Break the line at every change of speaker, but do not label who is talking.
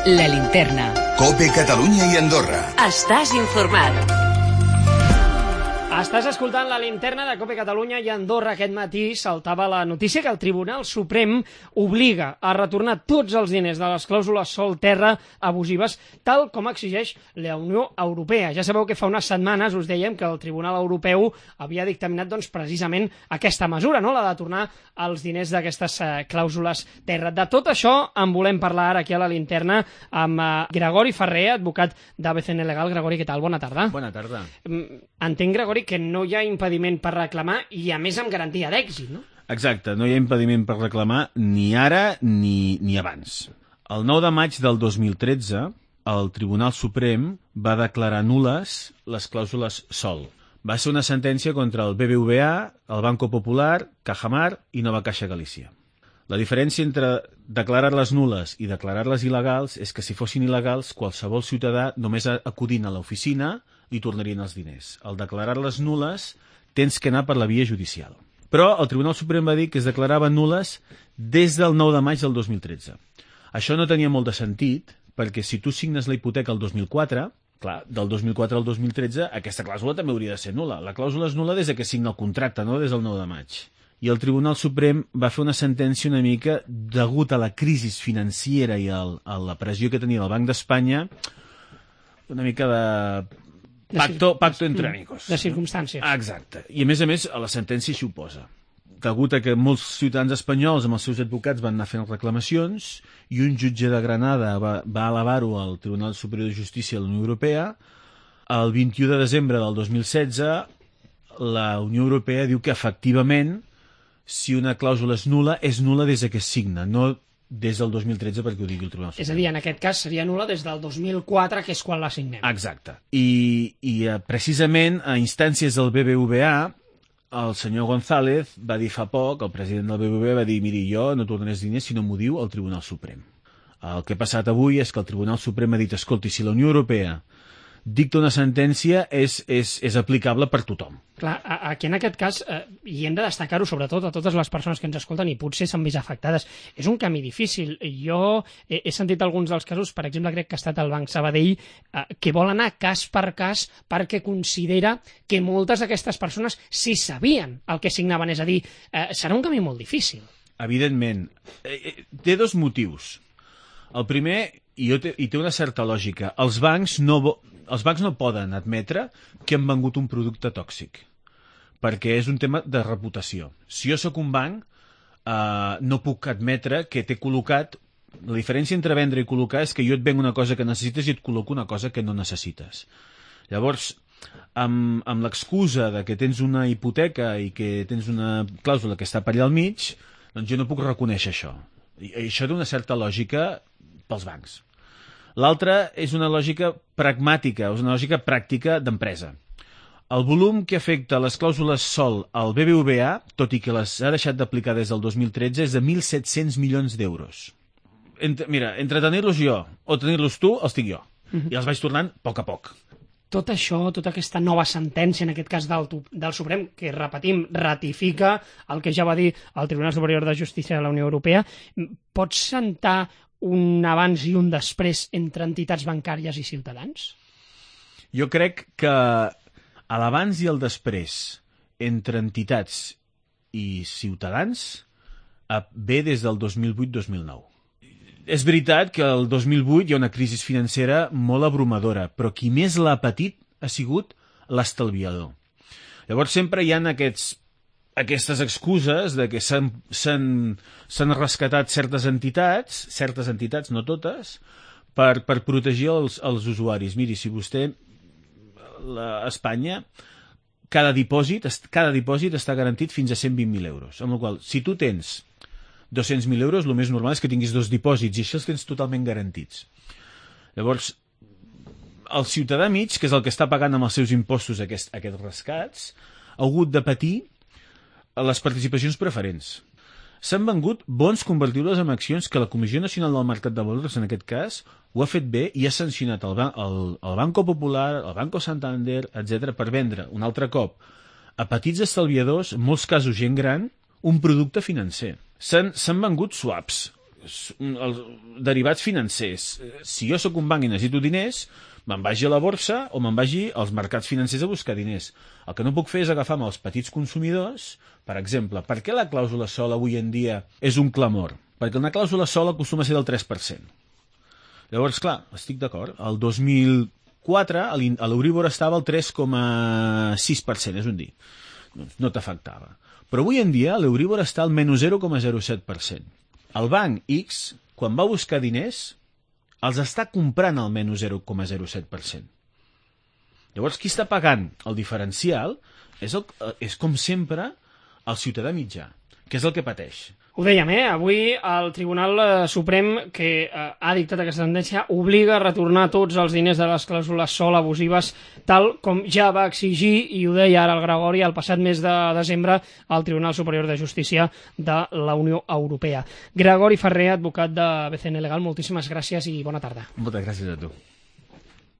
La Linterna.
COPE Catalunya i Andorra.
Estàs informat.
Estàs escoltant la Linterna de COPE Catalunya i Andorra. Aquest matí saltava la notícia que el Tribunal Suprem obliga a retornar tots els diners de les clàusules sol-terra abusives, tal com exigeix la Unió Europea. Ja sabeu que fa unes setmanes us dèiem que el Tribunal Europeu havia dictaminat precisament aquesta mesura, no? La de tornar els diners d'aquestes clàusules terra. De tot això en volem parlar ara aquí a la Linterna amb Gregori Ferrer, advocat d'ABCN Legal. Gregori, què tal? Bona tarda.
Bona tarda.
Entenc, Gregori, que no hi ha impediment per reclamar i, a més, amb garantia d'èxit, no?
Exacte, no hi ha impediment per reclamar ni ara ni abans. El 9 de maig del 2013, el Tribunal Suprem va declarar nul·les les clàusules SOL. Va ser una sentència contra el BBVA, el Banco Popular, Cajamar i Nova Caixa Galícia. La diferència entre declarar-les nul·les i declarar-les il·legals és que si fossin il·legals, qualsevol ciutadà, només acudint a l'oficina, li tornarien els diners. Al declarar-les nul·les, tens que anar per la via judicial. Però el Tribunal Suprem va dir que es declaraven nul·les des del 9 de maig del 2013. Això no tenia molt de sentit, perquè si tu signes la hipoteca el 2004, clar, del 2004 al 2013, aquesta clàusula també hauria de ser nul·la. La clàusula és nul·la des que signa el contracte, no des del 9 de maig. I el Tribunal Suprem va fer una sentència una mica degut a la crisi financera i a la pressió que tenia el Banc d'Espanya, una mica pacto entre amigos.
De circumstàncies.
Exacte. I a més, la sentència s'hi oposa. Degut a que molts ciutadans espanyols amb els seus advocats van anar fent reclamacions i un jutge de Granada va elevar-ho al Tribunal Superior de Justícia de la Unió Europea, el 21 de desembre del 2016 la Unió Europea diu que efectivament si una clàusula és nul·la des que es signa, no des del 2013 perquè ho digui el Tribunal Suprem.
És a dir, en aquest cas seria nul·la des del 2004, que és quan la signem.
Exacte. I precisament a instàncies del BBVA, el senyor González va dir fa poc, el president del BBVA va dir, miri, jo no tornaré els diners si no m'ho diu el Tribunal Suprem. El que ha passat avui és que el Tribunal Suprem ha dit, escolti, si la Unió Europea dicta una sentència és aplicable per tothom.
Clar, aquí en aquest cas, i hem de destacar-ho sobretot a totes les persones que ens escolten i potser s'han vist afectades, és un camí difícil. Jo he sentit alguns dels casos, per exemple, crec que ha estat el Banc Sabadell, que vol anar cas per cas perquè considera que moltes d'aquestes persones sí sabien el que signaven. És a dir, serà un camí molt difícil.
Evidentment. Té dos motius. El primer, i té una certa lògica, els bancs no poden admetre que han vengut un producte tòxic, perquè és un tema de reputació. Si jo sóc un banc, no puc admetre que t'he col·locat... La diferència entre vendre i col·locar és que jo et venc una cosa que necessites i et col·loco una cosa que no necessites. Llavors, amb l'excusa de que tens una hipoteca i que tens una clàusula que està per allà al mig, doncs jo no puc reconèixer això. I això té una certa lògica pels bancs. L'altra és una lògica pragmàtica, és una lògica pràctica d'empresa. El volum que afecta les clàusules SOL al BBVA, tot i que les ha deixat d'aplicar des del 2013, és de 1.700 milions d'euros. Mira, entre tenir-los jo o tenir-los tu, els tinc jo. I els vaig tornant a poc.
Tot això, tota aquesta nova sentència, en aquest cas del Suprem, que, repetim, ratifica el que ja va dir el Tribunal Superior de Justícia de la Unió Europea, pot sentar un abans i un després entre entitats bancàries i ciutadans?
Jo crec que a l'abans i el després entre entitats i ciutadans ve des del 2008-2009. És veritat que el 2008 hi ha una crisi financera molt abrumadora, però qui més l'ha patit ha sigut l'estalviador. Llavors sempre hi ha aquestes excuses de que s'han rescatat certes entitats, no totes, per protegir els usuaris. Miri, si vostè, a Espanya, cada dipòsit està garantit fins a 120.000 euros. Amb la qual cosa, si tu tens 200.000 euros, el més normal és que tinguis dos dipòsits i això els tens totalment garantits. Llavors, el ciutadà mig, que és el que està pagant amb els seus impostos aquests rescats, ha hagut de patir les participacions preferents. S'han vengut bons convertibles en accions que la Comissió Nacional del Mercat de Valors, en aquest cas, ho ha fet bé i ha sancionat el Banco Popular, el Banco Santander, etc., per vendre un altre cop a petits estalviadors, en molts casos gent gran, un producte financer. S'han vengut swaps, els derivats financers. Si jo sóc un banc i necessito diners, me'n vagi a la borsa o me'n vagi als mercats financers a buscar diners. El que no puc fer és agafar-me els petits consumidors. Per exemple, per què la clàusula sol avui en dia és un clamor? Perquè una clàusula sol acostuma a ser del 3%. Llavors, clar, estic d'acord. El 2004 l'Euríbor estava al 3,6%, és un dir. Doncs no t'afectava. Però avui en dia l'Euríbor està al menys 0,07%. El banc X, quan va buscar diners, els està comprant al menys 0,07%. Llavors, qui està pagant el diferencial és com sempre, el ciutadà mitjà, que és el que pateix.
Ho dèiem, avui el Tribunal Suprem, que ha dictat aquesta sentència, obliga a retornar tots els diners de les clàusules sol abusives, tal com ja va exigir, i ho deia ara el Gregori, el passat mes de desembre, al Tribunal Superior de Justícia de la Unió Europea. Gregori Ferrer, advocat de BCN Legal, moltíssimes gràcies i bona tarda.
Moltes gràcies a tu.